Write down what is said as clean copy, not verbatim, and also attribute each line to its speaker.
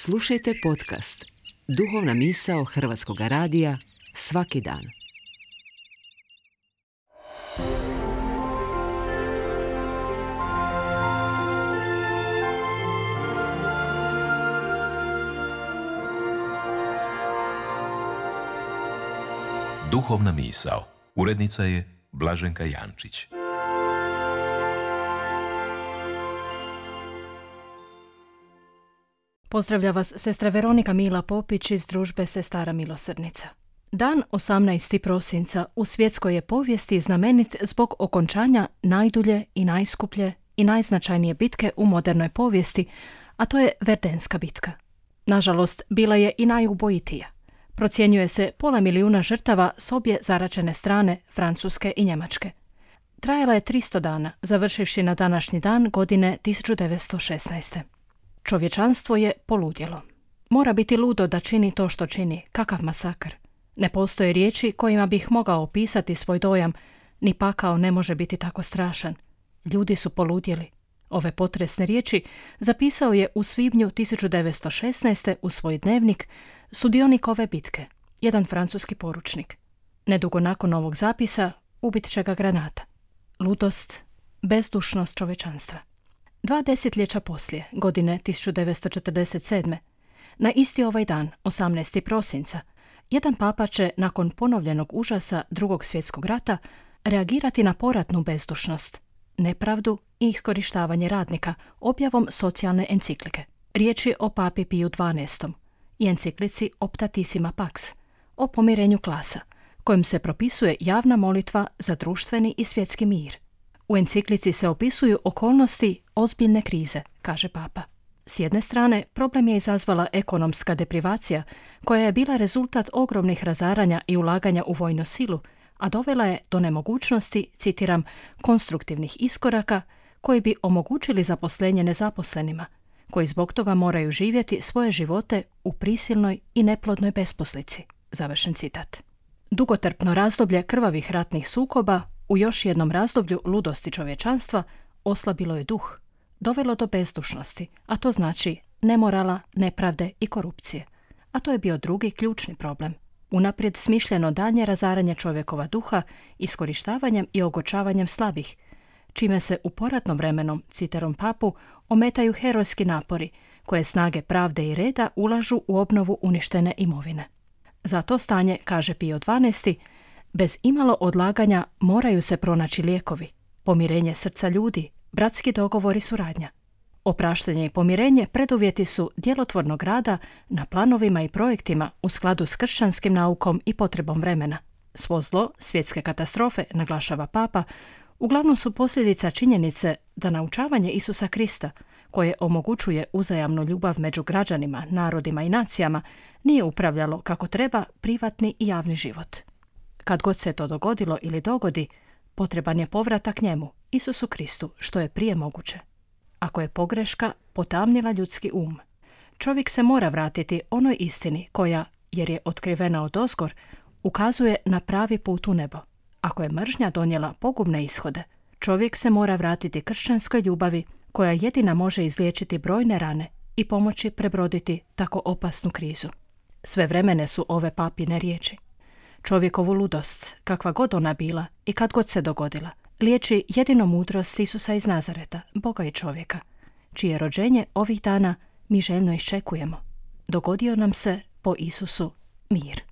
Speaker 1: Slušajte podcast Duhovna misao Hrvatskog radija svaki dan.
Speaker 2: Duhovna misao. Urednica je Blaženka Jančić.
Speaker 3: Pozdravlja vas sestra Veronika Mila Popić iz družbe Sestara milosrdnica. Dan 18. prosinca u svjetskoj je povijesti znamenit zbog okončanja najdulje i najskuplje i najznačajnije bitke u modernoj povijesti, a to je Verdenska bitka. Nažalost, bila je i najubojitija. Procjenjuje se 500 000 žrtava s obje zaračene strane, Francuske i Njemačke. Trajala je 300 dana, završivši na današnji dan godine 1916. Čovječanstvo je poludjelo. Mora biti ludo da čini to što čini, kakav masakr. Ne postoje riječi kojima bih mogao opisati svoj dojam, ni pakao ne može biti tako strašan. Ljudi su poludjeli. Ove potresne riječi zapisao je u svibnju 1916. u svoj dnevnik sudionik ove bitke, jedan francuski poručnik. Nedugo nakon ovog zapisa ubit će ga granata. Ludost, bezdušnost čovječanstva. 2 desetljeća poslije, godine 1947. na isti ovaj dan, 18. prosinca, jedan papa će, nakon ponovljenog užasa Drugog svjetskog rata, reagirati na poratnu bezdušnost, nepravdu i iskorištavanje radnika objavom socijalne enciklike. Riječ je o papi Piju XII i enciklici Optatissima Pax, o pomirenju klasa, kojim se propisuje javna molitva za društveni i svjetski mir. U enciklici se opisuju okolnosti ozbiljne krize, kaže papa. S jedne strane, problem je izazvala ekonomska deprivacija, koja je bila rezultat ogromnih razaranja i ulaganja u vojnu silu, a dovela je do nemogućnosti, citiram, konstruktivnih iskoraka koji bi omogućili zaposlenje nezaposlenima, koji zbog toga moraju živjeti svoje živote u prisilnoj i neplodnoj besposlici. Završen citat. Dugotrpno razdoblje krvavih ratnih sukoba u još jednom razdoblju ludosti čovječanstva oslabilo je duh, dovelo do bezdušnosti, a to znači nemorala, nepravde i korupcije. A to je bio drugi ključni problem. Unaprijed smišljeno daljnje razaranje čovjekova duha iskorištavanjem i ogočavanjem slabih, čime se u poratnom vremenu, citerom papu, ometaju herojski napori koje snage pravde i reda ulažu u obnovu uništene imovine. Za to stanje, kaže Pio XII, bez imalo odlaganja moraju se pronaći lijekovi, pomirenje srca ljudi, bratski dogovor i suradnja. Opraštanje i pomirenje preduvjeti su djelotvornog rada na planovima i projektima u skladu s kršćanskim naukom i potrebom vremena. Svo zlo, svjetske katastrofe, naglašava papa, uglavnom su posljedica činjenice da naučavanje Isusa Krista, koje omogućuje uzajamnu ljubav među građanima, narodima i nacijama, nije upravljalo kako treba privatni i javni život. Kad god se to dogodilo ili dogodi, potreban je povratak njemu, Isusu Kristu, što je prije moguće. Ako je pogreška potamnila ljudski čovjek se mora vratiti onoj istini koja, jer je otkrivena odozgor, ukazuje na pravi put u nebo. Ako je mržnja donijela pogubne ishode, čovjek se mora vratiti kršćanskoj ljubavi koja jedina može izliječiti brojne rane i pomoći prebroditi tako opasnu krizu. Svevremene su ove papine riječi. Čovjekovu ludost, kakva god ona bila i kad god se dogodila, liječi jedino mudrost Isusa iz Nazareta, Boga i čovjeka, čije rođenje ovih dana mi željno iščekujemo. Dogodio nam se po Isusu mir.